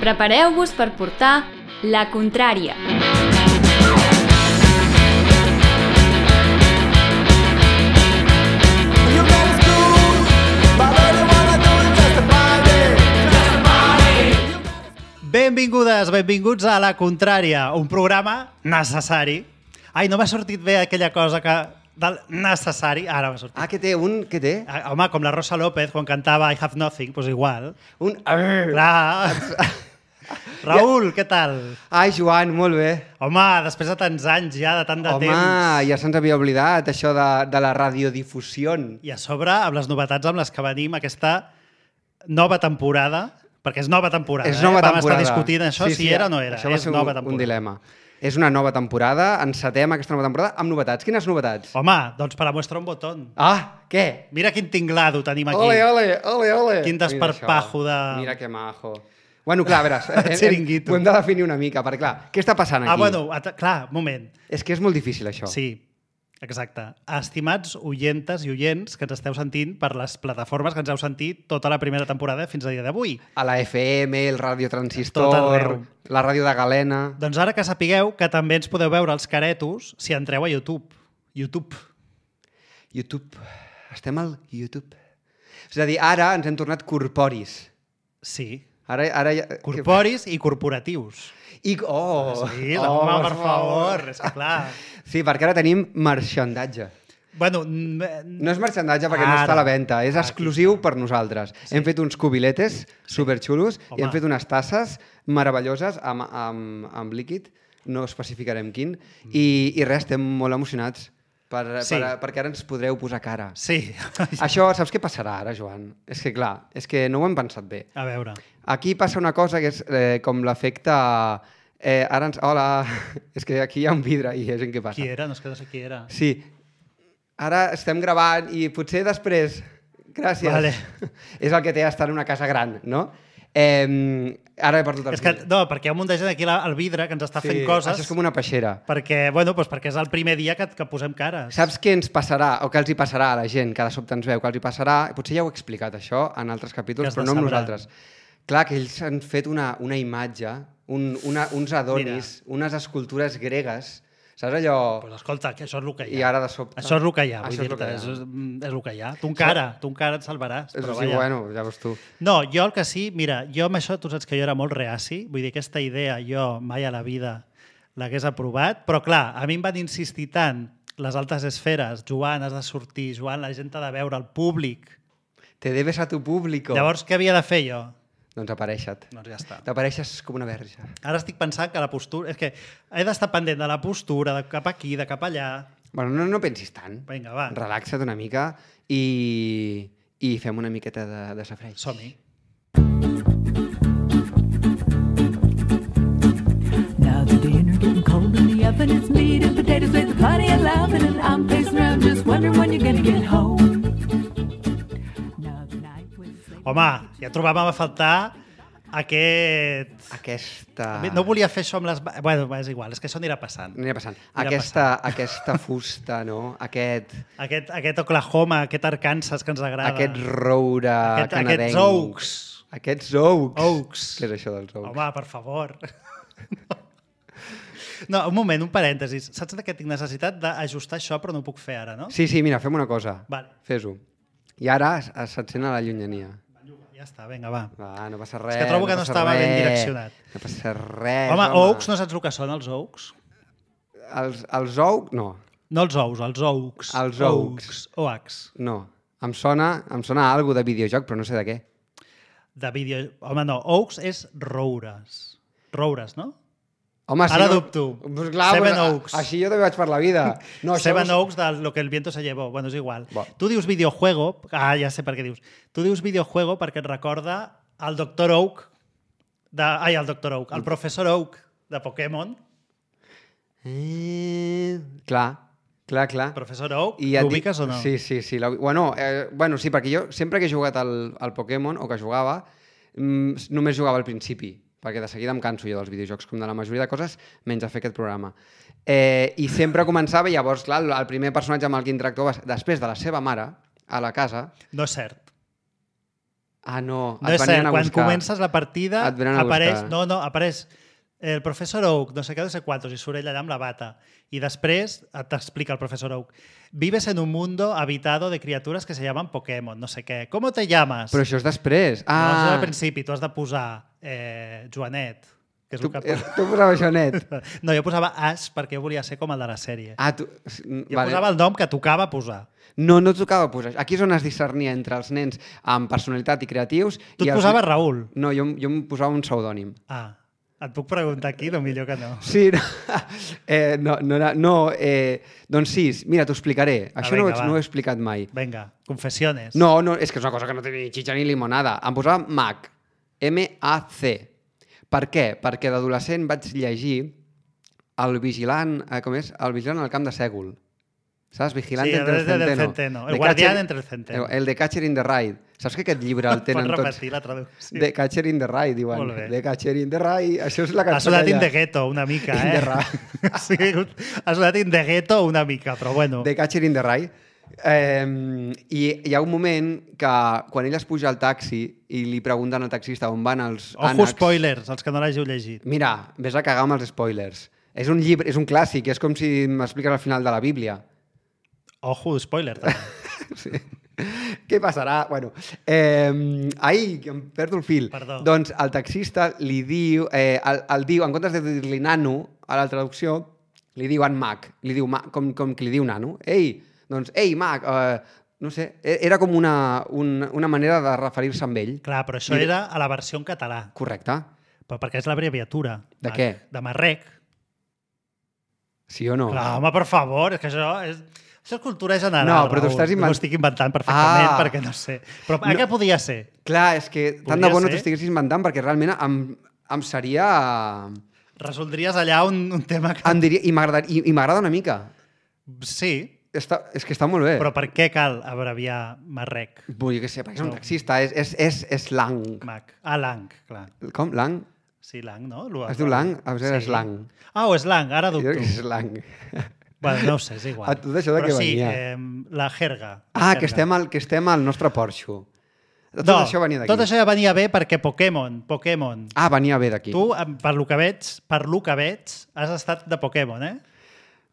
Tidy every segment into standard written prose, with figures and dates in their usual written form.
Prepareu-vos per portar La Contrària. Benvingudes, benvinguts a La Contrària, un programa necessari. Ai, no m'ha sortit bé aquella cosa que... del necessari, ara m'ha sortit. Ah, què té? Què té? Home, com la Rosa López, quan cantava I Have Nothing, doncs igual. Clar. Raül, què tal? Ai, Joan, molt bé. Home, després de tants anys ja, de tant de temps. Home, ja se'ns havia oblidat això de la radiodifusió. I a sobre, amb les novetats amb les que venim, aquesta nova temporada, perquè és nova temporada. És nova temporada. Vam estar discutint això, si era o no era. Això va ser un dilema. És una nova temporada, encetem aquesta nova temporada amb novetats. Quines novetats? Home, doncs per a mostrar un botón. Ah, què? Mira quin tinglado tenim aquí. Ole. Quin desparpajo de... Mira que majo. Bueno, clar, a veure, Chiringuito. ho hem de definir una mica, perquè clar, què està passant aquí? Clar, moment. És que és molt difícil, això. Sí, exacte. Estimats oyentes i oients que ens esteu sentint per les plataformes que ens heu sentit tota la primera temporada fins a dia d'avui. A la FM, el Ràdio Transistor, Tot arreu. la ràdio de Galena... Doncs ara que sapigueu que també ens podeu veure els caretos si entreu a YouTube. YouTube. Estem al YouTube. És a dir, ara ens hem tornat corporis. Sí. Ara ja... Corporis i corporatius. Sí, home, per favor. És que clar. Sí, perquè ara tenim marxandatge. Bueno, no és marxandatge perquè no està a la venda, és exclusiu per nosaltres. Sí. Hem fet uns cubiletes superxulos i hem fet unes tasses meravelloses amb líquid, no especificarem quin, i res, estem molt emocionats perquè ara ens podreu posar cara. Sí. Això, saps què passarà ara, Joan? És que clar, és que no ho hem pensat bé. A veure. Aquí passa una cosa que és com l'efecte... Hola, és que aquí hi ha un vidre i és en què passa. Qui era? No sé qui era. Sí, ara estem gravant i potser després... Gràcies. Vale. És el que té estar en una casa gran, no? Ara he perdut el fil. No, perquè hi ha un munt de gent aquí al vidre que ens està fent coses. Això és com una peixera. Perquè és el primer dia que posem cares. Saps què ens passarà, o què els hi passarà a la gent que de sobte ens veu, que els hi passarà, potser ja ho he explicat això en altres capítols, però no amb nosaltres. Clar, que ells han fet una imatge, uns adonis, unes escultures gregues. Saps allò... Pues escolta, que això és el que hi ha. I ara de sobte... Això és el que hi ha, vull dir-te, és el que hi ha. Tu encara et salvaràs. Però sí, bueno, ja veus tu. No, jo el que sí, mira, jo amb això tu saps que jo era molt reaci, vull dir, aquesta idea jo mai a la vida l'hagués aprovat, però clar, a mi em van insistir tant les altes esferes, Joan, has de sortir, Joan, la gent t'ha de veure, el públic. Te debes a tu público. Llavors, què havia de fer jo? Doncs apareixa't. Doncs ja està. T'apareixes com una verge. Ara estic pensant que la postura... És que he d'estar pendent de la postura, de cap aquí, de cap allà... Bueno, no pensis tant. Vinga, va. Relaxa't una mica i fem una miqueta de safreig. Som-hi. Now the dinner getting cold in the oven, it's meat and potatoes with plenty of loving, and I'm pacing around just wondering when you're gonna get home. Home, ja trobàvem a faltar Aquesta... No volia fer això amb les... Bueno, és igual, és que això anirà passant. Aquesta fusta, no? Aquest Oklahoma, aquest Arkansas que ens agrada. Aquest roure canadenc. Aquests oaks. Què és això dels oaks? Home, per favor. No, un moment, un parèntesis. Saps que tinc necessitat d'ajustar això, però no ho puc fer ara, no? Sí, mira, fem una cosa. Vale. Fes-ho. I ara s'encén a la llunyania. Ja està, vinga, va. No passa res. És que trobo que no estava ben direccionat. No passa res, home. Oaks, no saps el que són els oaks? Els oaks, no. No els ous, els oaks. Els oaks. Oaks. No. Em sona alguna de videojoc, però no sé de què. Home, no. Oaks és roures. Roures, no? Home, ara dubto. Pues clar, Seven Oaks. Així jo també vaig per la vida. No, Seven Oaks de lo que el viento se llevó. Bueno, és igual. Tu dius videojuego... ja sé per què dius. Tu dius videojuego perquè et recorda el Dr. Oak... el Dr. Oak. El Professor Oak de Pokémon. Clar. Professor Oak, l'ubiques o no? Sí. Bueno, sí, perquè jo sempre que he jugat al Pokémon, o que jugava, només jugava al principi, perquè de seguida em canso jo dels videojocs, com de la majoria de coses, menys a fer aquest programa. I sempre començava, i llavors, clar, el primer personatge amb el que interactuava després de la seva mare, a la casa... No és cert. Ah, no, No és cert, quan comences la partida Et venen a apareix... buscar. No, apareix el professor Oak, no sé què, no sé quantos, i surt ell allà amb la bata. I després t'explica el professor Oak. Vives en un mundo habitado de criaturas que se llaman Pokémon, no sé què. ¿Cómo te llamas? Però això és després. No, això és Ah, al principi, tu has de posar Joanet, que és tu, el que... tu posaves Joanet. No, jo posava Ash perquè jo volia ser com el de la sèrie. Ah, tu... Jo posava el nom que tocava posar. No tocava posar. Aquí és on es discernia entre els nens amb personalitat i creatius. Tu i et els... posaves Raül. No, jo em posava un pseudònim. Ah, et puc preguntar aquí? No, millor que no. Sí, doncs sí, mira, t'ho explicaré. Això vinga, no ho he explicat mai. Vinga, confessiones. No, és que és una cosa que no té ni xitxa ni limonada. Em posava MAC, M-A-C. Per què? Perquè d'adolescent vaig llegir El vigilant, com és? El vigilant al camp de Sègol. Saps? Vigilante Sí, entre el centeno. El guardián entre el centeno. El de Catcher in the Rye. Saps que aquest llibre el tenen Pots tots? repetir la traducció. The Catcher in the Rye, diuen. Molt bé. The Catcher in the Rye. Això és la Ha cançó sonat aquella. in the ghetto una mica, In the Rye. Sí, ha sonat in the ghetto una mica, però bueno. The Catcher in the Rye. I hi ha un moment que quan ell es puja al taxi i li pregunten al taxista on van els Ojo, ànecs... spoilers, els que no l'hàgiu llegit. Mira, vés a cagar amb els spoilers. És un llibre, és un clàssic, és com si m'expliques al final de la Bíblia. Ojo, spoiler, també. Sí. Què passarà? Bueno, ai, que em perdo el fil. Perdó. Doncs el taxista li diu, el diu, en comptes de dir-li nano a la traducció, li diu en Mac, li diu com que li diu nano. Ei, doncs, ei, Mac, no sé, era com una manera de referir-se amb ell. Clar, però això era a la versió en català. Correcte. Però perquè és l'abreviatura. De què? De Marrec. Sí o no? Clar, home, per favor, és que això és cultura general. No, però t'ho Raül. estàs No ho estic inventant perfectament perquè no sé. Però no. Què podia ser? Clar, és que tant Podria de bo no ser. t'ho estiguessis inventant perquè realment em seria... Resoldries allà un tema que... Em diria, i m'agrada una mica. Sí, És que està molt bé. però per què cal abreviar Marrec? Vull dir que sé, perquè és un taxista, és lang. Mac. Ah, Lang, clar. Com? Lang? Sí, Lang, no? Es diu lang? A vegades és lang. Ah, o és Lang, ara Jo dubto. crec que és lang. Bueno, no ho sé, és igual. A tot això de però què sí, venia? la jerga. Ah, que estem al nostre Porxo. Tot No, això venia d'aquí. tot això ja venia bé perquè Pokémon. Ah, venia bé d'aquí. Tu, per lo que veig, has estat de Pokémon, eh?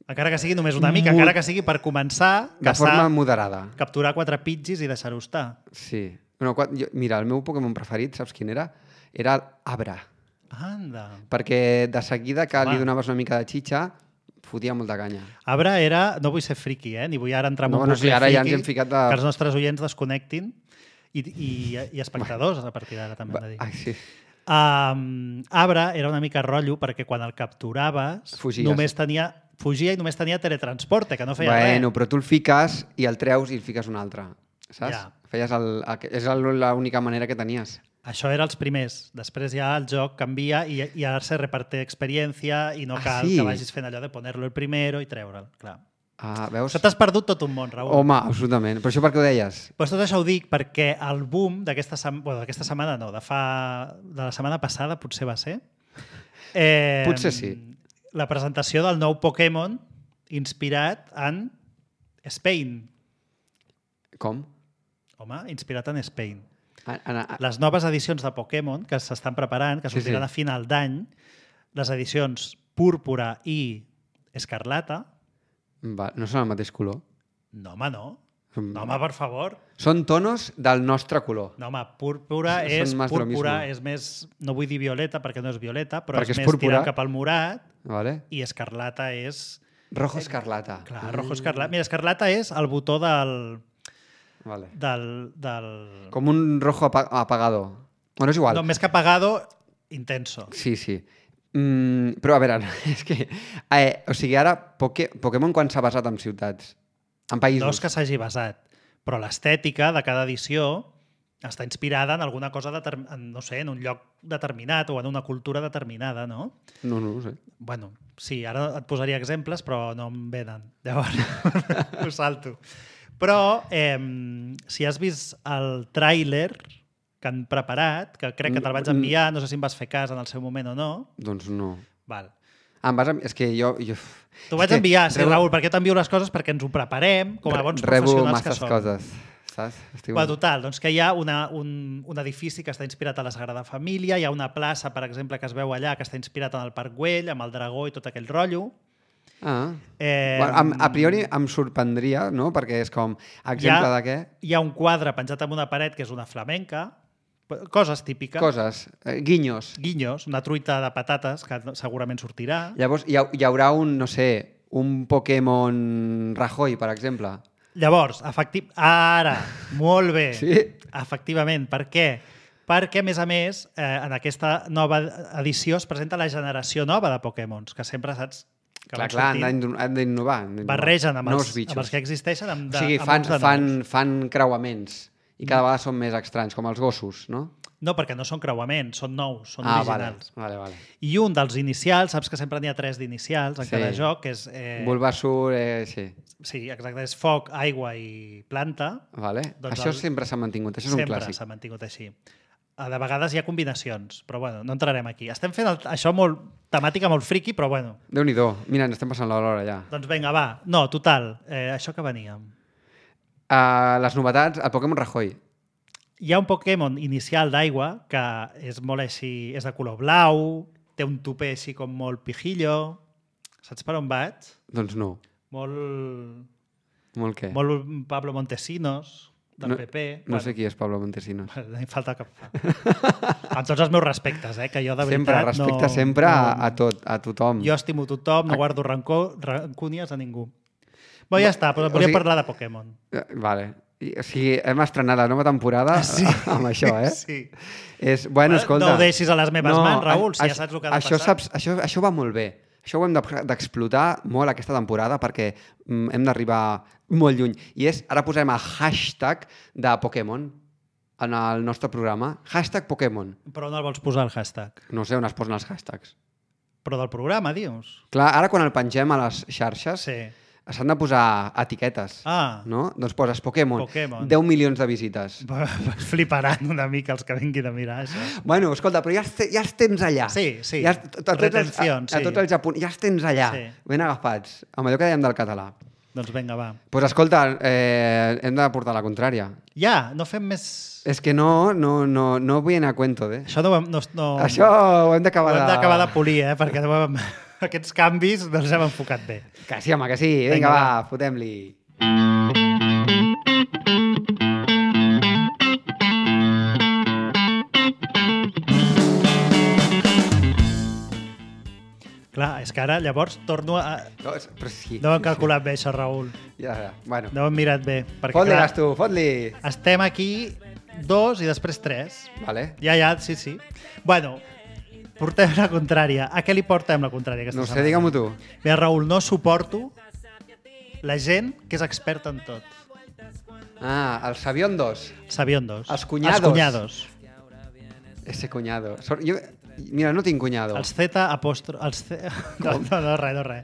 Encara que sigui només una mica, encara que sigui per començar, De forma moderada. capturar 4 pidgis i deixar-ho estar. Sí. Bueno, mira, el meu Pokémon preferit, saps quin era? Era el Abra. Anda. Perquè de seguida que Home. li donaves una mica de xitxa, fotia molta canya. Abra era... No vull ser friqui, ni vull ara entrar en No, un no, bucle sí, ara ja ens friqui, hem ficat de- que els nostres oients desconnectin i espectadors a partir d'ara també hem de dir. Ai, sí. Abra era una mica rotllo perquè quan el capturaves Fugies. fugia i només tenia teletransporte, que no feia Bueno, res. però tu el fiques i el treus i el fiques un altre. Saps? Ja. Feies és l'única manera que tenies. Això era els primers. Després ja el joc canvia i ara se reparte experiència i no cal sí? que vagis fent allò de poner-lo el primero i treure'l. Clar. Veus? Això t'has perdut tot un món, Raül. Home, absolutament. Però això per què ho deies? Pues tot això ho dic perquè el boom d'aquesta setmana no, de la setmana passada potser va ser. Potser sí. La presentació del nou Pokémon inspirat en Spain. Com? Home, inspirat en Spain. Ana, Les noves edicions de Pokémon que s'estan preparant, que Sí, sortiran sí. a final d'any, les edicions Púrpura i Escarlata, no són el mateix color. no, home, no. No, home, per favor. Són tonos del nostre color. No, home, púrpura Són és más de lo púrpura, mismo. és més, no vull dir violeta perquè no és violeta, però Perquè és és més púrpura. tirant cap al morat Vale? i escarlata és... Rojo escarlata. Clar, rojo escarlata. Mira, escarlata és el botó Vale. del... Com un rojo apagado. Bueno, és igual. No, més que apagado, intenso. Sí, sí. Però, a veure, és que... o sigui, ara, Pokémon quan s'ha basat en ciutats? En països? No és que s'hagi basat, però l'estètica de cada edició està inspirada en alguna cosa, no sé, en un lloc determinat o en una cultura determinada, no? No ho sé. Bueno, sí, ara et posaria exemples, però no em venen. Llavors, ho salto. Però, si has vist el tràiler que han preparat, que crec que te'l vaig enviar, no sé si em vas fer cas en el seu moment o no. Doncs no. Val. És que jo... T'ho vaig enviar, sí, Raül, perquè t'envio les coses perquè ens ho preparem com a bons Rebo professionals que masses som. coses, estàs? Bueno, total, doncs que hi ha un edifici que està inspirat a la Sagrada Família, hi ha una plaça, per exemple, que es veu allà, que està inspirat en el Parc Güell, amb el dragó i tot aquell rotllo. Bueno, a priori em sorprendria, no? Perquè és com exemple de què? Hi ha un quadre penjat en una paret que és una flamenca, coses típiques. Coses, guinyos. Guinyos, una truita de patates que segurament sortirà. Llavors hi haurà un, no sé, un Pokémon Rajoy, per exemple. Llavors, ara, molt bé. Sí? Efectivament. Per què? Perquè, a més, en aquesta nova edició es presenta la generació nova de Pokémons, que sempre saps que Clar, han d'innovar. Barregen amb nous els que existeixen amb o sigui, fan creuaments i cada vegada són més estranys, com els gossos, no? No, perquè no són creuaments, són nous, són originals. Vale. I un dels inicials, saps que sempre n'hi ha 3 d'inicials en cada joc, que és... Bulbasaur, sí. Sí, exacte, és foc, aigua i planta. Vale. Doncs això sempre s'ha mantingut, això és un clàssic. Sempre s'ha mantingut així. De vegades hi ha combinacions, però bueno, no entrarem aquí. Estem fent això temàtica molt friqui, però bueno. Déu-n'hi-do, mira, ens estem passant l'hora ja. Doncs vinga, va. No, total, això que veníem. Les novetats, el Pokémon Rajoy. Hi ha un Pokémon inicial d'aigua que és molt així, és de color blau, té un tupé així com molt pijillo. Saps per on vaig? Doncs no. Molt... Molt què? Molt Pablo Montesinos, del PP. No sé qui és Pablo Montesinos. No hi falta cap... Amb tots els meus respectes, que jo de veritat sempre, respecte sempre a tothom. Jo estimo tothom, no guardo rancúnies a ningú. Bé, ja està, però volia parlar de Pokémon. Vale. O sigui, hem estrenat la nova temporada amb això, eh? Sí. Bueno, escolta... No ho deixis a les meves mans, Raül, si ja saps el que ha de passar. Això va molt bé. Això ho hem d'explotar molt aquesta temporada perquè hem d'arribar molt lluny. I ara posarem el hashtag de Pokémon en el nostre programa. Hashtag Pokémon. Però on el vols posar, el hashtag? No sé on es posen els hashtags. Però del programa, dius? Clar, ara quan el pengem a les xarxes... Sí. S'han de posar etiquetes, no? Doncs poses Pokémon, 10 milions de visites. Fliparan una mica els que vinguin a mirar això. Bueno, escolta, però ja els tens allà. Sí. Retencions, a tots els japonesos, ja els tens allà, ben agafats, amb allò que dèiem del català. Doncs vinga, va. Doncs escolta, hem de portar la contrària. Ja, no fem més... És que no vull anar a cuento, Això Això ho hem d'acabar de polir, perquè aquests canvis no els hem enfocat bé. Que sí, home, que sí. Vinga, va, fotem-li. Clar, és que ara llavors torno a... No hem calculat bé això, Raül. Ja, bueno. No ho hem mirat bé. Fot-li, Gasto, fot-li. Estem aquí 2 i després 3. Vale. Ja, sí. Bueno, portem la contrària. A què li portem la contrària aquesta setmana? No sé, digue-m'ho tu. Bé, Raül, no suporto la gent que és experta en tot. Els sabiondos. Sabiondos. Els cunyados. Els cunyados. Ese cunyado. Mira, no tinc cunyado. Els Z apòstrof... No, res.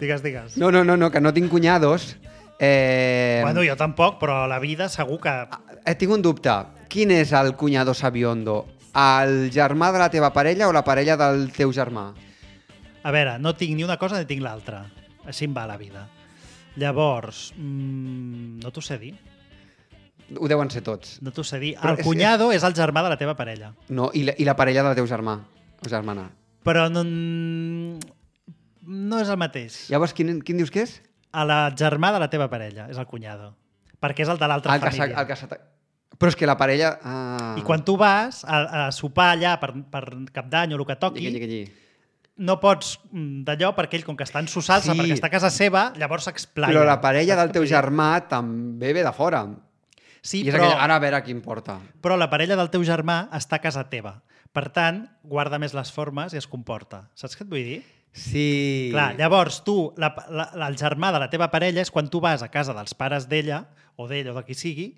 Digues. No, que no tinc cunyados. Bueno, jo tampoc, però a la vida segur que... Tinc un dubte. Quin és el cunyado sabiondo? El germà de la teva parella o la parella del teu germà? A veure, no tinc ni una cosa ni tinc l'altra. Així em va la vida. Llavors, no t'ho sé dir. Ho deuen ser tots. No t'ho sé dir. El cunyado és el germà de la teva parella. No, i la parella del teu germà o germana. Però no és el mateix. Llavors, quin dius que és? La germà de la teva parella és el cunyado. Perquè és el de l'altra família. Però és que la parella... I quan tu vas a sopar allà per Cap d'Any o el que toqui, no pots d'allò perquè ell, com que està en su salsa, perquè està a casa seva, llavors s'explaia. Però la parella del teu germà també ve de fora. Sí, I és aquella, ara a veure qui importa. Però la parella del teu germà està a casa teva. Per tant, guarda més les formes i es comporta. Saps què et vull dir? Sí. Clar, llavors tu, el germà de la teva parella és quan tu vas a casa dels pares d'ella, o d'ell o de qui sigui,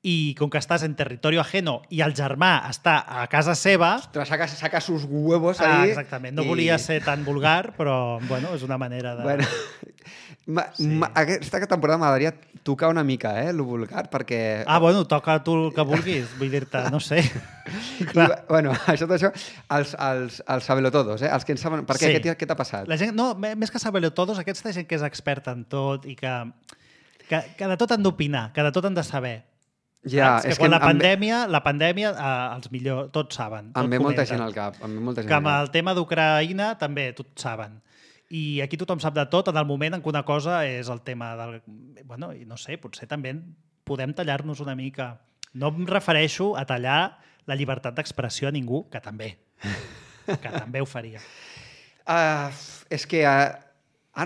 i com que estàs en territori ajeno i el germà està a casa seva... Ostres, saca sus huevos ahí. Exactament. No volia ser tan vulgar, però bueno, és una manera de... Bueno, aquesta temporada m'agradaria tocar una mica, lo vulgar, perquè... Bueno, toca tu el que vulguis, vull dir-te, no sé. Bueno, tot això, els sabelotodos, els que en saben... Per què? Sí. Què t'ha passat? La gent, no, més que sabelotodos, aquesta gent que és experta en tot i que de tot han d'opinar, que de tot han de saber. Ja, és que quan la pandèmia els millors, tots saben. Em ve molta gent al cap. Que amb el tema d'Ucraïna també tots saben. I aquí tothom sap de tot en el moment en què una cosa és el tema del... Bueno, no sé, potser també podem tallar-nos una mica. No em refereixo a tallar la llibertat d'expressió a ningú, que també ho faria. És que ara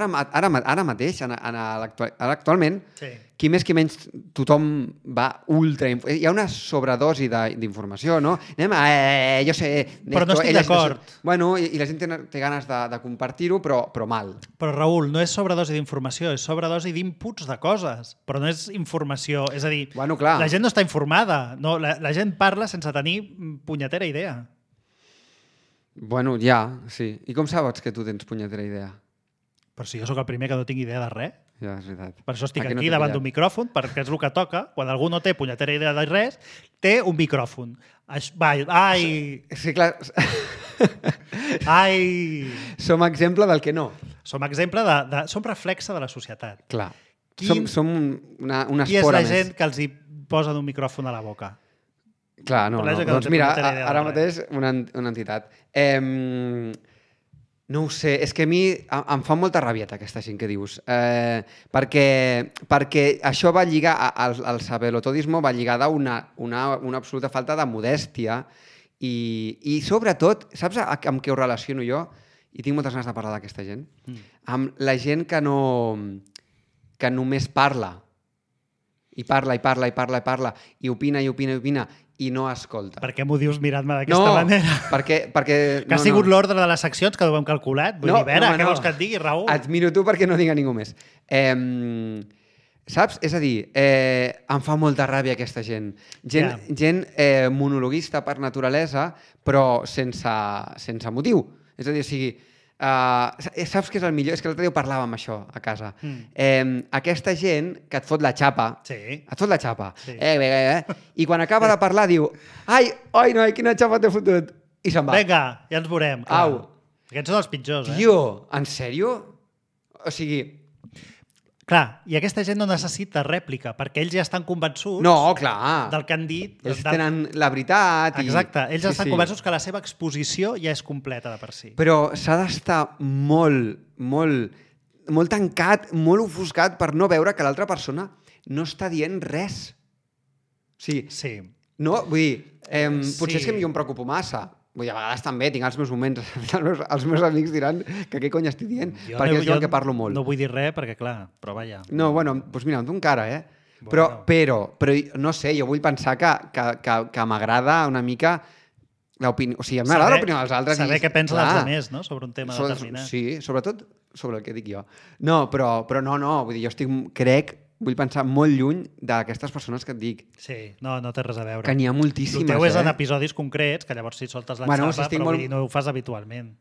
mateix, actualment, sí. Qui més qui menys, tothom va ultra... Hi ha una sobredosi d'informació, no? Jo sé... Però no estic d'acord. Bueno, i la gent té ganes de compartir-ho, però mal. Però, Raül, no és sobredosi d'informació, és sobredosi d'inputs de coses, però no és informació. És a dir, bueno, clar. La gent no està informada. No, la gent parla sense tenir punyetera idea. Bueno, ja, sí. I com saps que tu tens punyetera idea? Però si jo sóc el primer que no tinc idea de res. Ja, és veritat. Per això estic aquí davant d'un micròfon, perquè és el que toca. Quan algú no té punyetera idea de res, té un micròfon. Ai! Sí, clar. Ai! Som exemple del que no. Som exemple som reflexe de la societat. Clar. Som una espora més. Qui és la gent que els hi posen un micròfon a la boca? Clar, no. Doncs mira, ara mateix una entitat. No ho sé, és que a mi em fa molta ràbia aquesta gent que dius, perquè això va lligar, el sabelotodismo va lligada a una absoluta falta de modèstia i sobretot, saps amb què ho relaciono jo? I tinc moltes ganes de parlar d'aquesta gent. Amb la gent que només parla, i parla, i opina, i no escolta. Per què m'ho dius mirant-me d'aquesta manera? Perquè que ha sigut l'ordre de les seccions que ho hem calculat? Vull dir, què vols que et digui, Raül? Et miro tu perquè no digui ningú més. Saps? És a dir, em fa molta ràbia aquesta gent. Gent monologuista per naturalesa, però sense motiu. És a dir, saps què és el millor? És que l'altre dia ho parlàvem això a casa. Aquesta gent que et fot la xapa, i quan acaba de parlar diu ai, noi, quina xapa t'he fotut, i se'n va. Vinga, ja ens veurem. Au. Aquests són els pitjors, Tio, en sèrio? O sigui... Clar, i aquesta gent no necessita rèplica, perquè ells ja estan convençuts del que han dit. Ells tenen la veritat. Exacte, ells estan convençuts que la seva exposició ja és completa de per si. Però s'ha d'estar molt tancat, molt ofuscat per no veure que l'altra persona no està dient res. Sí. No, vull dir, potser és que jo em preocupo massa. Vull dir, a vegades també tinc els meus moments, els meus amics diran que què cony estic dient, perquè és el que parlo molt. No vull dir res perquè, clar, però vaja. No, bueno, doncs mira, amb tu encara, Però, no sé, jo vull pensar que m'agrada una mica l'opinió... O sigui, m'agrada l'opinió dels altres. Saber què pensen els altres, no?, sobre un tema determinat. Sí, sobretot sobre el que dic jo. No, però no, vull dir, vull pensar molt lluny d'aquestes persones que et dic. Sí, no té res a veure. Que n'hi ha moltíssimes, El teu és en episodis concrets, que llavors si soltes la xapa, però vull dir, no ho fas habitualment.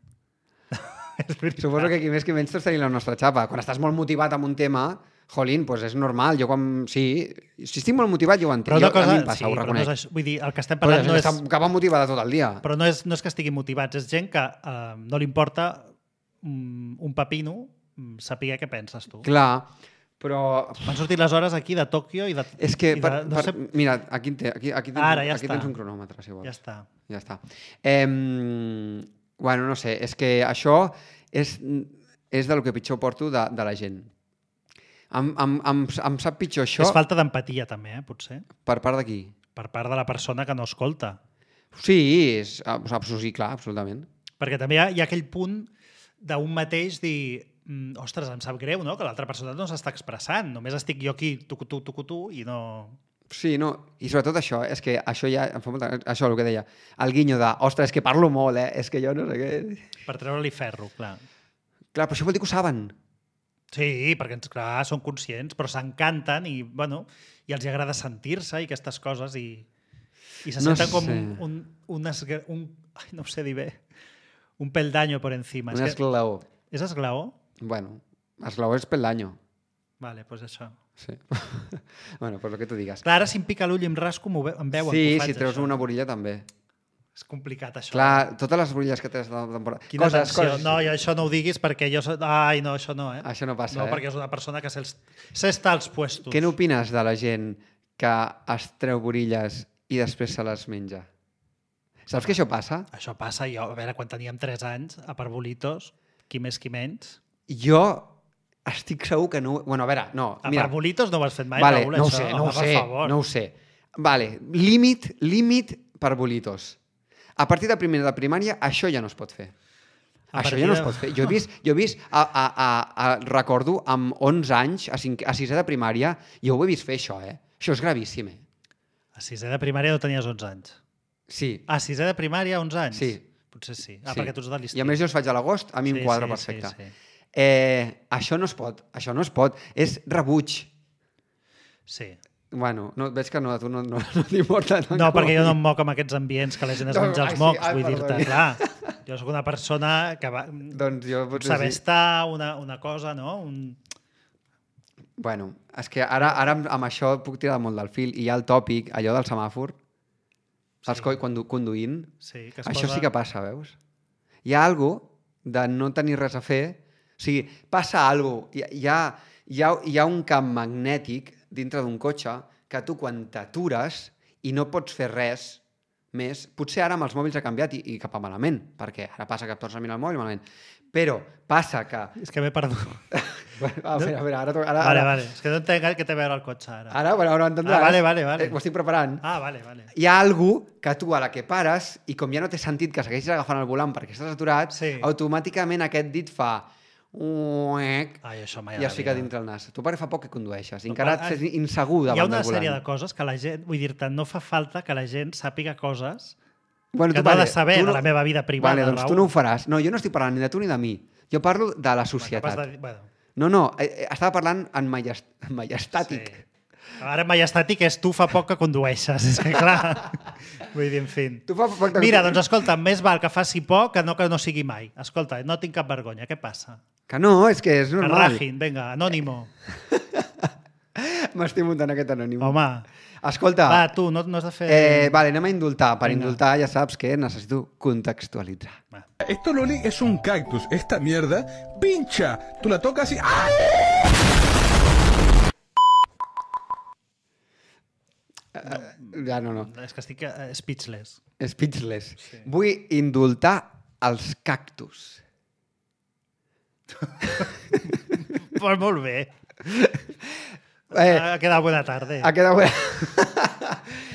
Suposo que qui més que menys tots tenim la nostra xapa. Quan estàs molt motivat amb un tema, jolín, doncs és normal. Jo si estic molt motivat, jo ho entenc. A mi em passa, ho reconec. Vull dir, el que estem parlant no és... Que va motivada tot el dia. Però no és que estiguin motivats, és gent que no li importa un pepino saber què penses tu. Clar, però... Van sortir les hores aquí de Tòquio i de... És que, mira, aquí tens un cronòmetre, si vols. Ja està. Bueno, no sé, és que això és del que pitjor porto de la gent. Em sap pitjor això... És falta d'empatia, també, potser. Per part de qui? Per part de la persona que no escolta. Sí, clar, absolutament. Perquè també hi ha aquell punt d'un mateix dir... ostres, em sap greu, no?, que l'altra persona no s'està expressant. Només estic jo aquí, tu, i no... Sí, no, i sobretot això, és que això ja em fa molta... Això, el que deia, el guinyo de, ostres, és que parlo molt, és que jo no sé què... Per treure-li ferro, clar. Clar, però això vol dir que ho saben. Sí, perquè, clar, són conscients, però s'encanten i, bueno, i els agrada sentir-se i aquestes coses i se senten com no ho sé dir bé, un peldaño por encima. Un esglaó. És esglaó? Bueno, esglaó és peldaño. Vale, doncs això. Sí. Bueno, pues el que tu digues. Clar, ara si em pica l'ull i em rasco, em veuen. Sí, si treus una borilla també. És complicat, això. Clar, totes les borilles que tens de temporada. Quina tensió. No, això no ho diguis perquè jo... Ai, no, això no, Això no passa, No, perquè és una persona que s'està als puestos. Què n'opines de la gent que es treu borilles i després se les menja? Saps que això passa? Això passa, jo, a veure, quan teníem 3 anys, a Parbolitos, qui més qui menys... Jo estic segur que no... Bueno, a veure, no. A mira. Parbolitos no ho has fet mai, Vale, Raül, no ho això? sé, no ho Home, per sé, favor. no ho sé. Vale, límit Parbolitos. A partir de primera de primària, això ja no es pot fer. Això ja no es pot fer. Jo he vist recordo, amb 11 anys, a 6è de primària, jo ho he vist fer, això, eh? Això és gravíssim, eh? A 6è de primària no tenies 11 anys. Sí. A 6è de primària, 11 anys? Sí. Potser sí. Sí. Perquè tu ets de l'estiu. I a més jo els faig a l'agost, a mi em quadra perfecte. Això no es pot, això no es pot. És rebuig. Sí. Bueno, no, veig que no, a tu no t'importa. No, perquè jo no em moc amb aquests ambients que la gent es menja els mocs, vull dir-te, perdoni. clar. Jo sóc una persona que va Doncs jo potser saber sí. estar una cosa, no? Bueno, és que ara amb això puc tirar molt del fil. I hi ha el tòpic, allò del semàfor, saps, conduint. Sí, que Això sí que passa, veus? Hi ha alguna cosa de no tenir res a fer. O sigui, passa alguna cosa. Hi ha un camp magnètic dintre d'un cotxe que tu quan t'atures i no pots fer res més, potser ara amb els mòbils ha canviat i cap a malament, perquè ara passa que et tornes a mirar el mòbil malament, però passa que... És que m'he perdut. A veure, ara... Vale. És que no entenc què té a veure el cotxe ara. Ara ho entendràs. Vale. Ho estic preparant. Vale. Hi ha algú que tu a la que pares i com ja no té sentit que segueixis agafant el volant perquè estàs aturat, Sí. automàticament aquest dit fa... Ai, això mai i es fica dintre el nas. Tu perquè fa poc que condueixes. I encara ets insegur davant del volant. Hi ha una sèrie de coses que la gent... Vull dir-te, no fa falta que la gent sàpiga coses bueno, que no ha de saber de la meva vida privada, Vale, doncs tu no ho faràs. No, jo no estic parlant ni de tu ni de mi. Jo parlo de la societat. No, estava parlant en majestàtic. Sí. Ara majestàtic és tu fa poc que condueixes, és que clar. Vull dir, en fi. Mira, doncs escolta, més val que faci poc que no sigui mai. Escolta, no tinc cap vergonya, què passa? Que no, és que és normal. Que rajin, vinga, anònimo. M'estic muntant aquest anònimo. Home. Escolta. Va, tu, no has de fer... Vale, anem a indultar. Per indultar ja saps que necessito contextualitzar. Va. Esto, Loli, es un cactus. Esta mierda pincha. Tú la tocas y... ¡ah! Ja no. És que estic speechless. Speechless. Sí. Vull indultar els cactus. Pues molt bé. Ha quedat bona tarda. Ha quedat bona...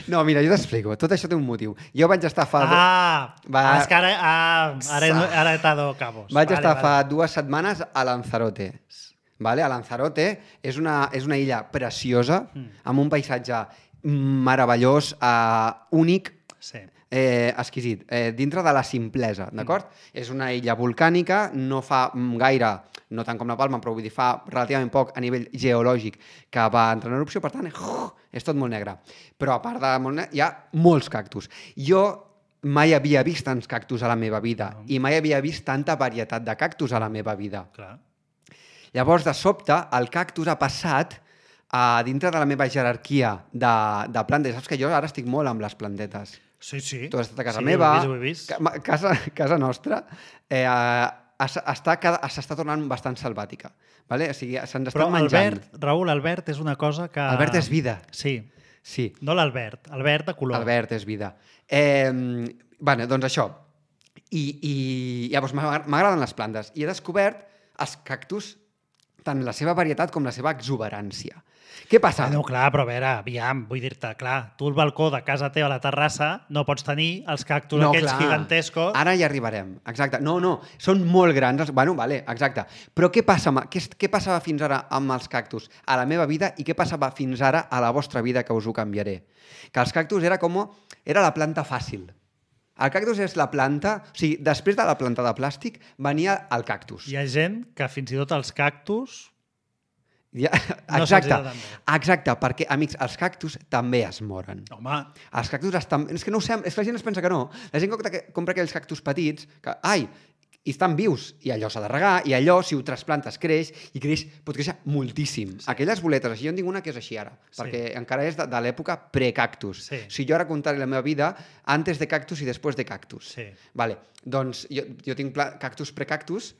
No, mira, jo t'explico. Tot això té un motiu. Jo vaig estar fa... És que ara he dado cabos. Vaig estar fa 2 setmanes a Lanzarote. Vale? A Lanzarote és una illa preciosa, amb un paisatge meravellós, únic, exquisit, dintre de la simplesa, d'acord? És una illa volcànica, no fa gaire, no tant com la Palma, però vull dir, fa relativament poc a nivell geològic que va entrar en erupció, per tant, és tot molt negre. Però a part de molt negre, hi ha molts cactus. Jo mai havia vist tants cactus a la meva vida i mai havia vist tanta varietat de cactus a la meva vida. Clar. Llavors, de sobte, el cactus ha passat dintre de la meva jerarquia de plantes. Saps que jo ara estic molt amb les plantetes. Sí. Tu has estat a casa meva. Ho he vist. Casa nostra s'està tornant bastant selvàtica. Vale? O sigui, se'ns estan menjant. Raül, Albert és una cosa que... Albert és vida. Sí. No l'Albert, Albert de color. Albert és vida. Doncs això. I llavors m'agraden les plantes. I he descobert els cactus, tant la seva varietat com la seva exuberància. Què passa? No, clar, però a veure, aviam, vull dir-te, clar, tu al balcó de casa teva a la terrassa no pots tenir els cactus aquells gigantescos. Ara hi arribarem, exacte. No, són molt grans. Bueno, vale, exacte. Però què passava fins ara amb els cactus a la meva vida i què passava fins ara a la vostra vida, que us ho canviaré? Que els cactus era la planta fàcil. El cactus és la planta... O sigui, després de la planta de plàstic venia el cactus. Hi ha gent que fins i tot els cactus... Exacte, perquè, amics, els cactus també es moren. Home. Els cactus estan... És que no ho sé, és que la gent es pensa que no. La gent compra aquells cactus petits que, i estan vius, i allò s'ha de regar, i allò, si ho trasplantes, creix, i pot créixer moltíssim. Sí. Aquelles boletes, així, jo en tinc una que és així ara, perquè encara és de l'època pre-cactus. Sí. Si jo ara contaré la meva vida antes de cactus i després de cactus. Sí. Vale. Doncs jo tinc cactus pre-cactus,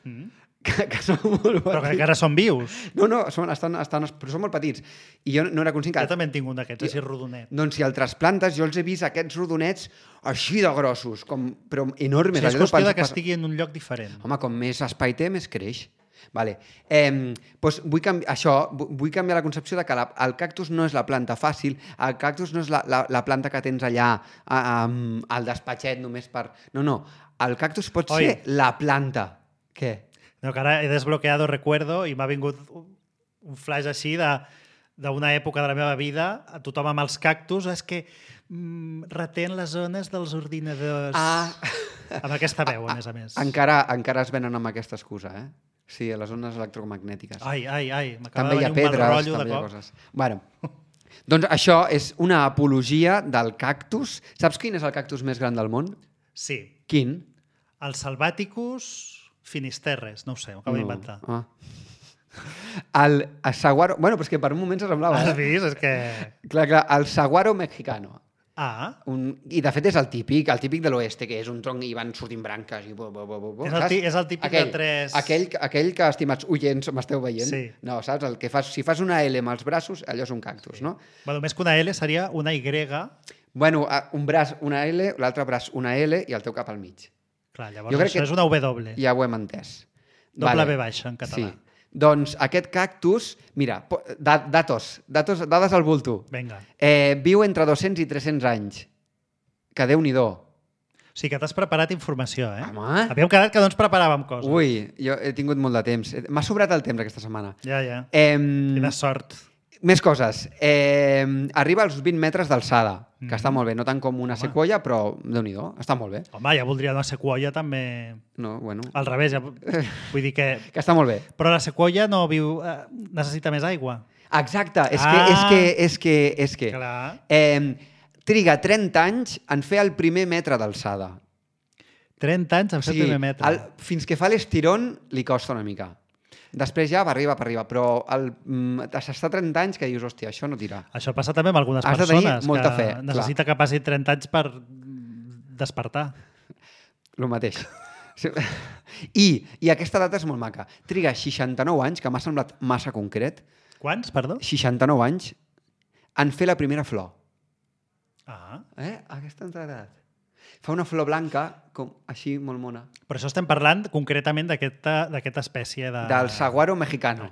que són molt petits. Però que encara són vius. No, però són molt petits. I jo no era conscient que... Jo també en tinc un d'aquests, així rodonet. Doncs si el trasplantes, jo els he vist aquests rodonets així de grossos, però enormes. És qüestió que estigui en un lloc diferent. Home, com més espai té, més creix. Vale. Doncs vull canviar la concepció de que el cactus no és la planta fàcil, el cactus no és la planta que tens allà al despatxet només per... No, el cactus pot ser la planta. Què? No, que ara he desbloqueado recuerdo i m'ha vingut un flash així d'una època de la meva vida, a tothom amb els cactus, és que retén les zones dels ordinadors. Amb aquesta veu, a més. Encara es venen amb aquesta excusa, eh? Sí, a les zones electromagnètiques. Ai, m'acaba també de venir un mal rotllo de cop. Coses. Bueno, doncs això és una apologia del cactus. Saps quin és el cactus més gran del món? Sí. Quin? El Salvaticus Finisterres, no ho sé, ho acabo d'inventar. El saguaro... Bueno, però és que per un moment s'assemblava. Has vist? És que... Clar, el saguaro mexicano. I de fet és el típic de l'oeste, que és un tronc i van sortint branques. És el típic de tres... Aquell que, estimats oients, m'esteu veient. Sí. No, saps? El que si fas una L amb els braços, allò és un cactus, no? Bueno, més que una L seria una Y. Bueno, un braç una L, l'altre braç una L i el teu cap al mig. Clar, llavors això és una W. Ja ho hem entès. Doble V baixa en català. Sí. Doncs aquest cactus, mira, dades al bulto. Vinga. Viu entre 200 i 300 anys. Que Déu-n'hi-do. O sigui que t'has preparat informació, eh? Home. Havíem quedat que no ens preparàvem coses. Ui, jo he tingut molt de temps. M'ha sobrat el temps aquesta setmana. Ja. Quina sort. Més coses. Arriba als 20 metres d'alçada, que està molt bé. No tant com una sequoia, però Déu-n'hi-do, està molt bé. Home, ja voldria una sequoia també... No, bueno... Al revés, vull dir que... Que està molt bé. Però la sequoia no viu... necessita més aigua. Exacte, és que... Clar. Triga 30 anys en fer el primer metre d'alçada. 30 anys en fer el primer metre. Fins que fa l'estirón li costa una mica. Després ja va arriba, però s'està 30 anys que dius, hòstia, això no tira. Això passa també amb algunes persones. Has de tenir molta fe. Necessita que passi 30 anys per despertar. El mateix. I aquesta data és molt maca. Triga 69 anys, que m'ha semblat massa concret. Quants, perdó? 69 anys en fer la primera flor. Aquesta edat. Fa una flor blanca, com així, molt mona. Per això estem parlant concretament d'aquesta espècie de... Del saguaro mexicano.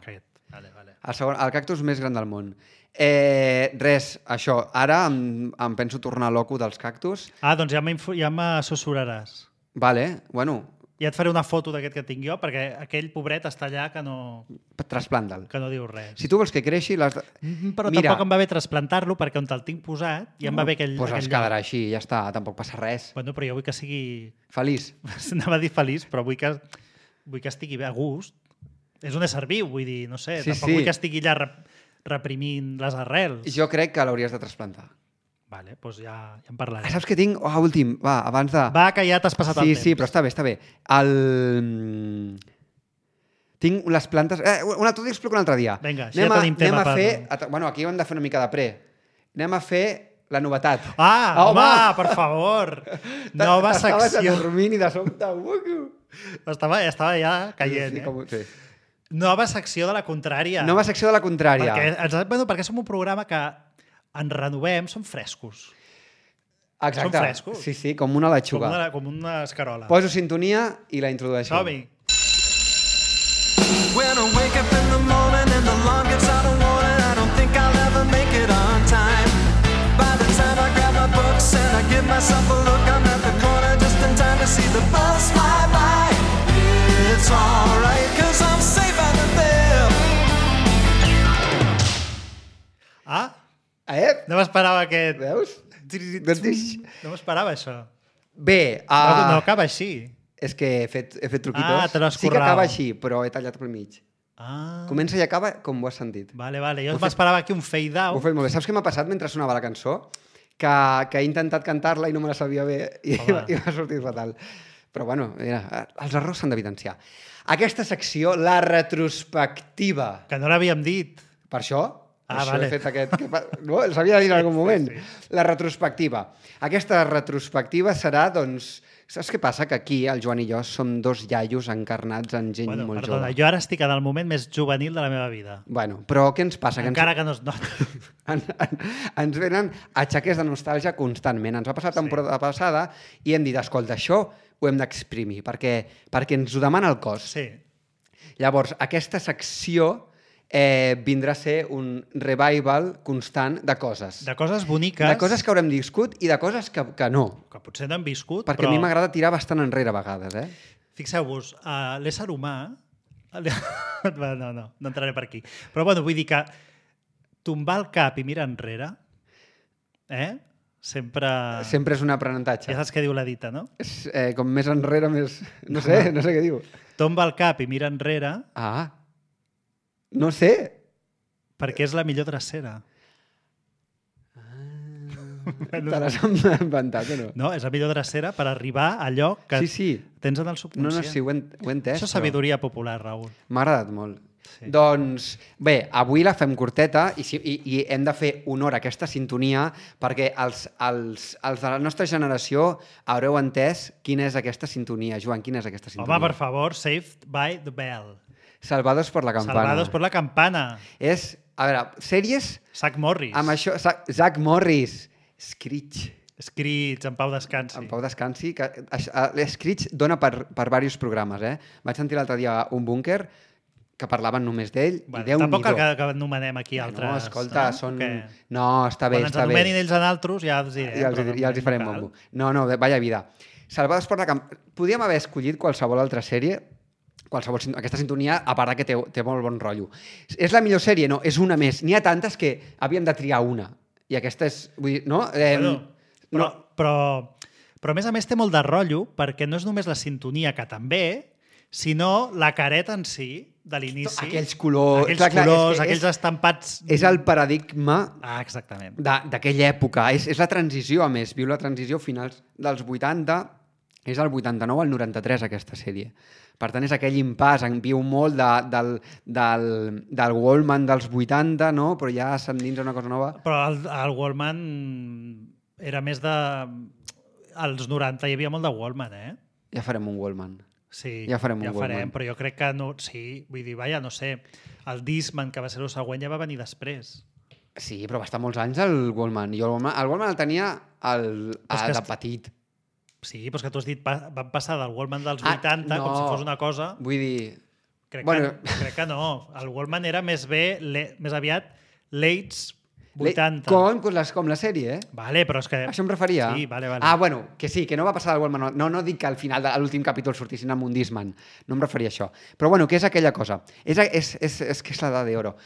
Vale. El cactus més gran del món. Res, això. Ara em penso tornar loco dels cactus. Doncs ja m'assessoraràs. Vale, bueno... Ja et faré una foto d'aquest que tinc jo, perquè aquell pobret està allà que no... Trasplanta'l. Que no diu res. Si tu vols que creixi... Però tampoc em va bé trasplantar-lo, perquè on te'l tinc posat ja em va bé aquell lloc. Doncs es quedarà així, ja està, tampoc passa res. Bueno, però jo vull que sigui... Feliç. Anava a dir feliç, però vull que estigui bé a gust. És un ésser viu, vull dir, no sé, tampoc vull que estigui allà reprimint les arrels. Jo crec que l'hauries de trasplantar. Vale, doncs ja en parlarem. Saps què tinc? Últim, abans de... Va, que ja t'has passat el temps. Sí, però està bé. Tinc les plantes... T'ho explico un altre dia. Vinga, ja tenim tema per... Bueno, aquí hem de fer una mica de pre. Anem a fer la novetat. Home, per favor! Nova secció. Estaves adormint i de sobte... Estava ja caient, Sí. Nova secció de la contrària. Nova secció de la contrària. Perquè som un programa que ens renovem, som frescos. Exacte. Som frescos. Sí, com una lechuga. Com una escarola. Poso sintonia i la introdueixo. Som-hi. When I wake up in the morning and the alarm gets out of warning, I don't think I'll ever make it on time. By the time I grab my books and I give myself a look, I'm at the corner just in time to see the bus fly by. It's alright, cause I'm safe out of there. No m'esperava aquest... Veus? No m'esperava això. Bé, no acaba així. És que he fet truquitos. Te l'has sí que acaba així, però he tallat pel mig. Comença i acaba com ho has sentit. Vale. Jo m'esperava aquí un fade out. Ho he fet molt bé. Saps què m'ha passat mentre sonava la cançó? Que he intentat cantar-la i no me la sabia bé i m'ha sortit fatal. Però bueno, mira, els errors s'han d'evidenciar. Aquesta secció, la retrospectiva. Que no l'havíem dit. Per això? Vale. He fet aquest... No? S'havia de dir en algun moment. Sí. La retrospectiva. Aquesta retrospectiva serà, doncs, Saps què passa? Que aquí el Joan i jo som dos iaios encarnats en gent molt jove. Jo ara estic en el moment més juvenil de la meva vida. Bueno, però què ens passa? Encara que no es nota. Ens venen aixeques de nostàlgia constantment. Ens va passar la temporada passada i hem dit, escolta, això ho hem d'exprimir, perquè ens ho demana el cos. Sí. Llavors, aquesta secció vindrà a ser un revival constant de coses. De coses boniques. De coses que haurem viscut i de coses que no. Que potser no hem viscut, Perquè però... a mi m'agrada tirar bastant enrere a vegades, Fixeu-vos, l'ésser humà... No entraré per aquí. Però bueno, vull dir que tombar el cap i mirar enrere, sempre... Sempre és un aprenentatge. Ja saps què diu la dita, no? Com més enrere, més... No sé què diu. Tomba el cap i mira enrere... No sé. Perquè és la millor drecera. Te l'has inventat o no? No, és la millor drecera per arribar a allò que tens en el subconscient. No, sí, ho he entès. Això és sabidoria popular, Raül. M'ha agradat molt. Sí. Doncs bé, avui la fem curteta i hem de fer honor a aquesta sintonia perquè els de la nostra generació haureu entès quina és aquesta sintonia. Joan, quina és aquesta sintonia? Home, per favor, Saved by the Bell. Salvados por la campana. Salvados por la campana. És, a veure, sèries... Zach Morris. Amb això, Zach Morris. Screech. Screech, en pau descansi. En pau descansi. Screech dona per diversos programes, Vaig sentir l'altre dia un búnquer que parlaven només d'ell i Déu-n'hi-do. Tampoc cal que anomenem aquí altres... No, escolta, són... No, està bé, està bé. Quan ens anomenin ells en altres ja els diré. Ja els hi farem bombo. No, vaya vida. Salvados por la campana. Podríem haver escollit qualsevol altra sèrie, aquesta sintonia, a part que té molt bon rotllo. És la millor sèrie? No, és una més. N'hi ha tantes que havíem de triar una. I aquesta és... Vull dir, no? Però a més a més té molt de rotllo perquè no és només la sintonia, que també, sinó la careta en si, de l'inici. Aquells colors... Aquells estampats... És el paradigma exactament. D'aquella època. És la transició, a més. Viu la transició finals dels 80. És el 89 al 93, aquesta sèrie. Per tant, és aquell impàs, en viu molt del Wallman dels 80, no? Però ja s'endins una cosa nova. Però el Wallman era més de... Als 90 hi havia molt de Wallman, Ja farem un Wallman. Sí, ja farem un Wallman. Però jo crec que no... Sí, vull dir, no sé, el Discman, que va ser el següent, ja va venir després. Sí, però va estar molts anys el Wallman. Jo el Wallman el tenia de petit. Sí, però és que tu has dit van passar del Wallman dels 80 com si fos una cosa... Vull dir... Crec que no. El Wallman era més aviat late 80. Com la sèrie, Vale, però és que... Això em referia? Sí, vale. Bueno, que sí, que no va passar del Wallman. No dic que al final de l'últim capítol sortissin amb un Discman. No em referia a això. Però bueno, què és aquella cosa? És que és l'edat d'oro.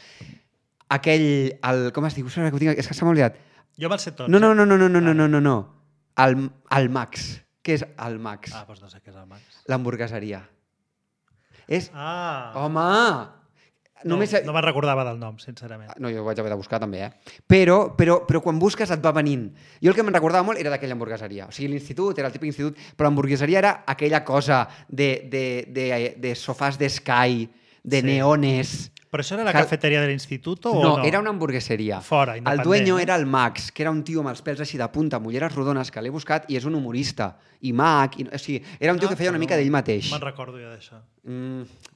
Com es diu? És que s'ha oblidat. Jo me'l sé tot. No. El Max. Què és el Max? Doncs no sé què és el Max. L'hamburgueseria. És... Home! No me'n recordava del nom, sincerament. No, jo ho vaig haver de buscar també, Però quan busques et va venint. Jo el que me'n recordava molt era d'aquella hamburgueseria. O sigui, l'institut era el típic institut, però l'hamburgueseria era aquella cosa de sofàs d'Sky, de neones... Però això era la cafeteria de l'institut o no? No, era una hamburgueseria. Fora, independent. El dueño era el Max, que era un tio amb els pèls així de punta, amb ulleres rodones, que l'he buscat i és un humorista. I mag... O sigui, era un tio que feia una mica d'ell mateix. Me'n recordo jo d'això.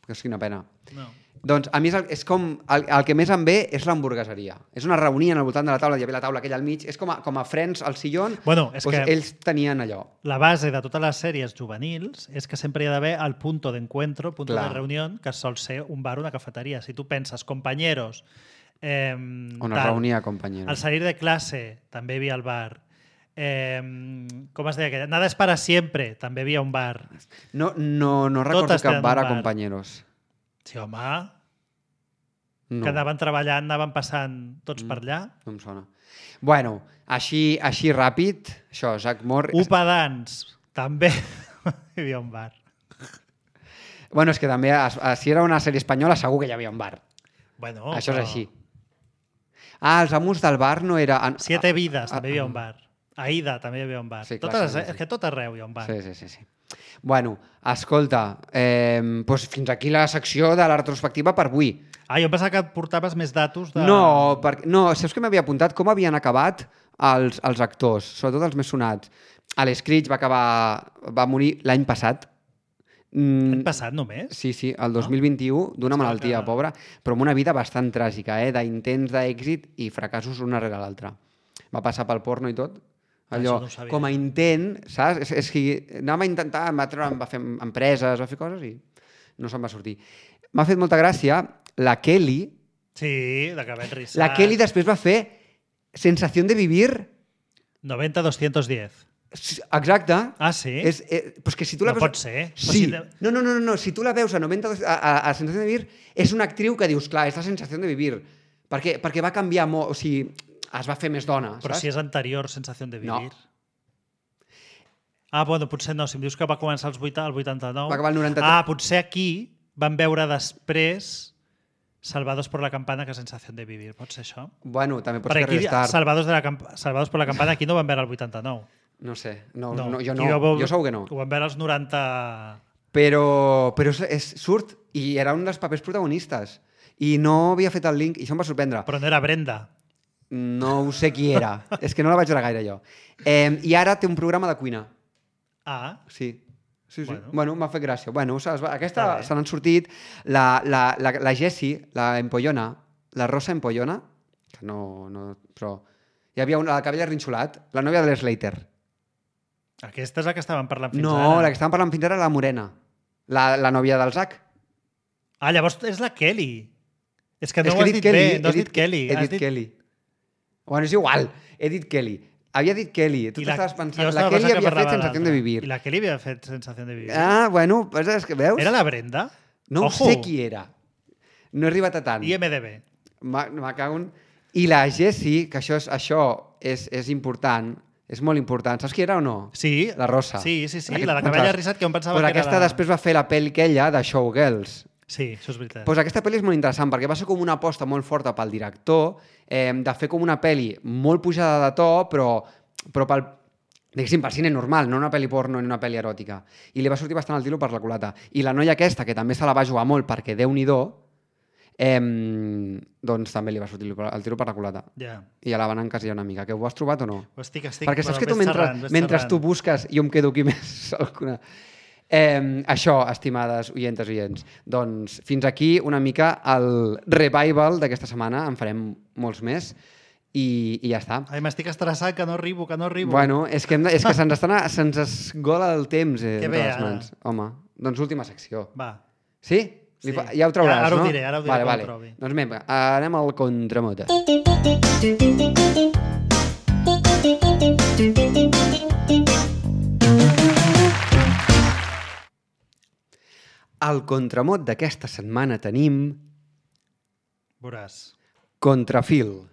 És quina pena. No. Doncs a mi és com... El que més em ve és l'hamburgueseria. És una reunió al voltant de la taula, hi havia la taula aquella al mig, és com a Friends al sillón, és que ells tenien allò. La base de totes les sèries juvenils és que sempre hi ha d'haver el punto d'encuentro, el punto de reunió, que sol ser un bar o una cafeteria. Si tu penses, compañeros... On es reunia compañeros. Al salir de classe també hi havia el bar. Com es deia aquella? Nada es para siempre, també hi havia un bar. No recordo cap bar a compañeros. Sí, home. No. Que anaven treballant, anaven passant tots per allà. No em sona. Bueno, així ràpid, això, Zach Morris... Upadans, també hi havia un bar. Bueno, és que també, si era una sèrie espanyola, segur que hi havia un bar. Bueno, això és així. Els amos del bar no era... Siete vides, també hi havia un bar. Aida, també hi havia un bar. Sí, clar, és que tot arreu hi ha un bar. Sí. Bueno, escolta, doncs fins aquí la secció de la retrospectiva per avui. Jo em pensava que portaves més datos de... No, saps que m'havia apuntat com havien acabat als actors, sobretot els més sonats. Alex Critch va morir l'any passat. L'any passat només? Sí, el 2021, d'una malaltia, pobra, però amb una vida bastant tràgica, d'intents d'èxit i fracassos un darrere l'altre. Va passar pel porno i tot. Allò, com a intent, saps? És que anava a intentar, va fer empreses, va fer coses i no se'n va sortir. M'ha fet molta gràcia la Kelly. Sí, de cabell rissat. La Kelly després va fer Sensación de Vivir. 90-210. Exacte. Ah, sí? Pues que si tu la no veus... pot ser. Sí. No. Si tu la veus a Sensación de Vivir, és una actriu que dius, clar, és la Sensación de Vivir. Perquè va canviar molt, o sigui, es va fer més dona, Però saps? si és anterior Sensación de Vivir. No. Ah, bueno, potser no. Si em dius que va començar al 89... Va acabar el 93. Ah, potser aquí van veure després Salvados por la Campana que Sensación de Vivir. Pot ser això? Bueno, també pots Perquè fer aquí, restart. Salvados por la Campana aquí no van veure el 89. No sé, jo segur que no. Ho van veure els 90... Però surt, i era un dels papers protagonistes. I no havia fet el link, i això em va sorprendre. Però no era Brenda. No ho sé qui era. És que no la vaig veure gaire, jo. I ara té un programa de cuina. Ah. Sí. Bueno, m'ha fet gràcia. Bueno, aquesta se n'han sortit. La Jessie, la Empollona, la Rosa Empollona, que no... Però hi havia la cabell arrinxolat, la nòvia de l'Slater. Aquesta és la que estàvem parlant fins ara. No, la que estàvem parlant fins ara era la Morena. La nòvia del Zach. Ah, llavors és la Kelly. És que no ho has dit bé, no has dit Kelly. He dit Kelly. Bueno, és igual, he dit Kelly. Havia dit Kelly, tu t'estaves pensant... La Kelly havia fet Sensación de Vivir. I la Kelly havia fet Sensación de Vivir. Ah, bueno, és que veus? Era la Brenda? No sé qui era. No he arribat a tant. IMDB. Me cago en... I la Jessie, que això és important, és molt important. Saps qui era o no? Sí. La Rosa. Sí, la de cabell arrisat, que em pensava que era aquesta després va fer la pel·li aquella de Showgirls. Sí, això és veritat. Pues aquesta pel·li és molt interessant perquè va ser com una aposta molt forta pel director de fer com una pel·li molt pujada de to, però pel cine normal, no una pel·li porno ni una pel·li eròtica. I li va sortir bastant el tiro per la culata. I la noia aquesta, que també se la va jugar molt perquè Déu-n'hi-do, doncs també li va sortir el tiro per la culata. Yeah. I ja la van encasillar una mica. Que ho has trobat o no? Estic, perquè saps que tu mentre tu busques jo em quedo aquí més alguna... Això, estimades oientes i oients, doncs fins aquí una mica el revival d'aquesta setmana, en farem molts més i ja està. Ai, m'estic estressat, que no arribo. Bueno, és que se'ns esgola el temps entre les mans. Home, doncs última secció. Va. Sí? Sí. Ja ho trauràs, ara no? Ho diré, quan ho trobi. Doncs anem al contramota. Al contramot d'aquesta setmana tenim... Veuràs. Contrafil.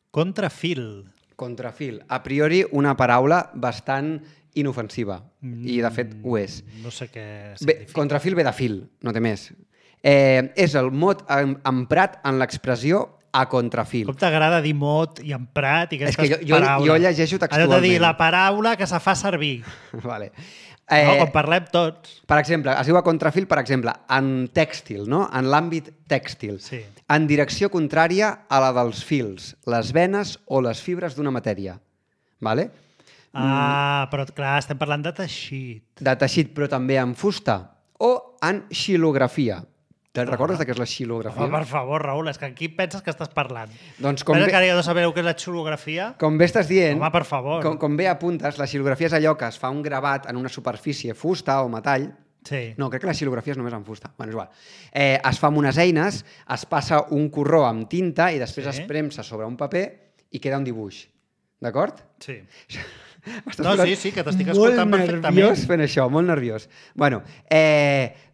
Contrafil. A priori, una paraula bastant inofensiva. I, de fet, ho és. No sé què significa. Contrafil ve de fil, no té més. És el mot emprat en l'expressió a contrafil. Com t'agrada dir mot i emprat i aquestes paraules? És que jo llegeixo textualment. Allò de dir la paraula que se fa servir. Vale. Com parlem tots. Per exemple, es diu a contrafil, per exemple, en tèxtil, no? En l'àmbit tèxtil. Sí. En direcció contrària a la dels fils, les venes o les fibres d'una matèria. Vale? Però clar, estem parlant de teixit. De teixit, però també en fusta. O en xilografia. Te'n recordes de què és la xilografia? Home, per favor, Raül, és que aquí penses que estàs parlant. Doncs Penses que ara ja no sabeu què és la xilografia? Com bé estàs dient... Home, per favor. Com bé apuntes, la xilografia és allò que es fa un gravat en una superfície, fusta o metall. Sí. No, crec que la xilografia és només en fusta. Bueno, és igual. Es fa amb unes eines, es passa un corró amb tinta i després es premsa sobre un paper i queda un dibuix. D'acord? Sí. No, sí, que t'estic escoltant perfectament. Molt nerviós fent això, molt nerviós. Bueno,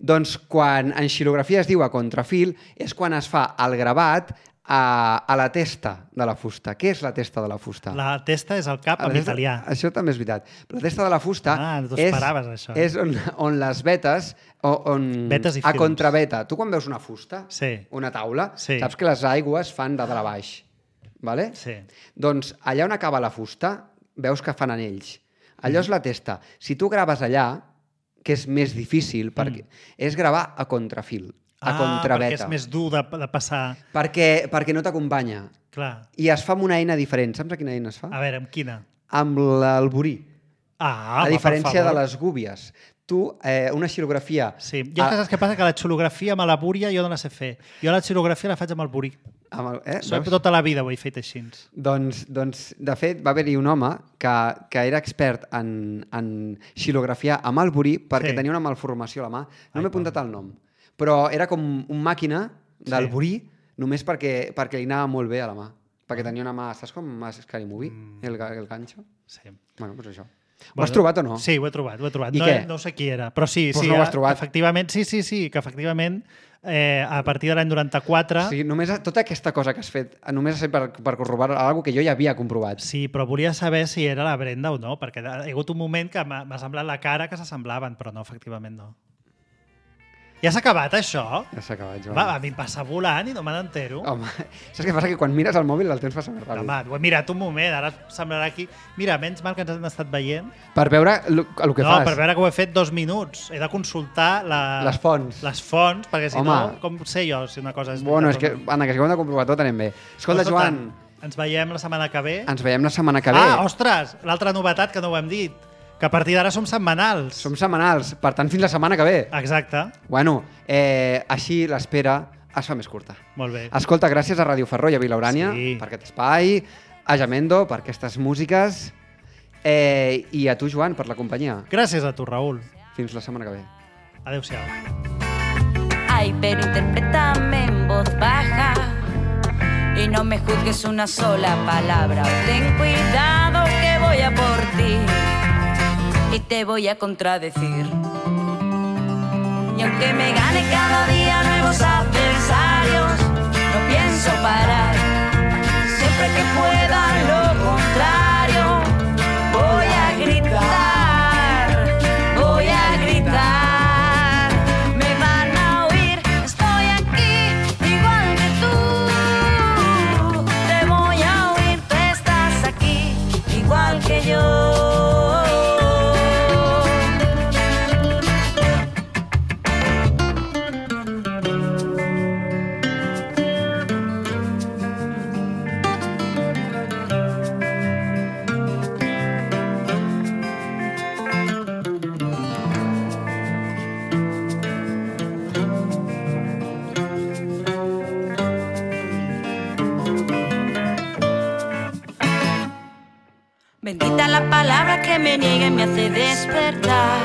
doncs quan en xilografia es diu a contrafil és quan es fa el gravat a la testa de la fusta. Què és la testa de la fusta? La testa és el cap en italià. Això també és veritat. Però la testa de la fusta això. És on les vetes... Vetes i a fils. contraveta. Tu quan veus una fusta, una taula, saps que les aigües fan de dalt a baix. Vale? Sí. Doncs allà on acaba la fusta veus que fan anells. Allò és la testa. Si tu graves allà, que és més difícil, perquè és gravar a contrafil. a contrabeta. Perquè és més dur de passar. Perquè no t'acompanya. Clar. I es fa amb una eina diferent. Saps a quina eina es fa? A veure, amb quina? Amb l'alborí. A diferència de les gúbies. Tu, una xilografia... Sí, jo saps què passa? Que la xilografia amb la búria jo no la sé fer. Jo la xilografia la faig amb el burí. Tota la vida ho he fet així. Doncs, de fet, va haver-hi un home que era expert en xilografiar amb el burí perquè tenia una malformació a la mà. No m'he apuntat el nom. Però era com un màquina del burí només perquè li anava molt bé a la mà. Perquè tenia una mà... Saps com a Scary Movie? El ganxo? Sí. Bueno, doncs això. Ho has trobat o no? Sí, ho he trobat. I què? No sé qui era, però sí. Pues no ho has trobat. Efectivament, sí, que efectivament a partir de l'any 94... Sí, només tota aquesta cosa que has fet, només ha estat per corroborar alguna que jo ja havia comprovat. Sí, però volia saber si era la Brenda o no, perquè hi ha hagut un moment que m'ha semblat la cara que s'assemblaven, però no, efectivament no. Ja s'ha acabat, això? Ja s'ha acabat, Joan. Va, a mi em passa volant i no me n'entero. Home, saps què passa? Que quan mires el mòbil el temps passa més ràpid. Home, ho he mirat un moment, ara semblarà aquí... Mira, menys mal que ens hem estat veient. Per veure el que fas. No, per veure que ho he fet 2 minuts. He de consultar les fonts. Les fonts, perquè si no, com sé jo si una cosa és... Bueno, és que, Anna, que si ho hem de comprovar tot anem bé. Escolta, Joan... Ens veiem la setmana que ve. Ens veiem la setmana que ve. Ostres, l'altra novetat que no ho hem dit. Que a partir d'ara som setmanals. Som setmanals, per tant, fins la setmana que ve. Exacte. Bueno, així l'espera es fa més curta. Molt bé. Escolta, gràcies a Ràdio Ferró i a Vila Urània per aquest espai, a Jamendo per aquestes músiques i a tu, Joan, per la companyia. Gràcies a tu, Raül. Fins la setmana que ve. Adéu-siau. Ay, pero interprétame en voz baja y no me juzgues una sola palabra. Ten cuidado que voy a por ti y te voy a contradecir. Y aunque me gane cada día nuevos adversarios, no pienso parar. Siempre que pueda lo contrario, voy a gritar, voy a gritar. Me van a oír, estoy aquí, igual que tú. Te voy a oír, tú estás aquí, igual que yo. Bendita la palabra que me niega y me hace despertar.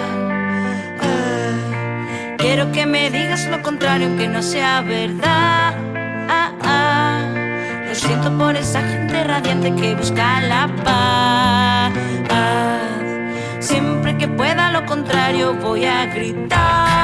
Quiero que me digas lo contrario aunque no sea verdad. Lo siento por esa gente radiante que busca la paz. Siempre que pueda lo contrario voy a gritar.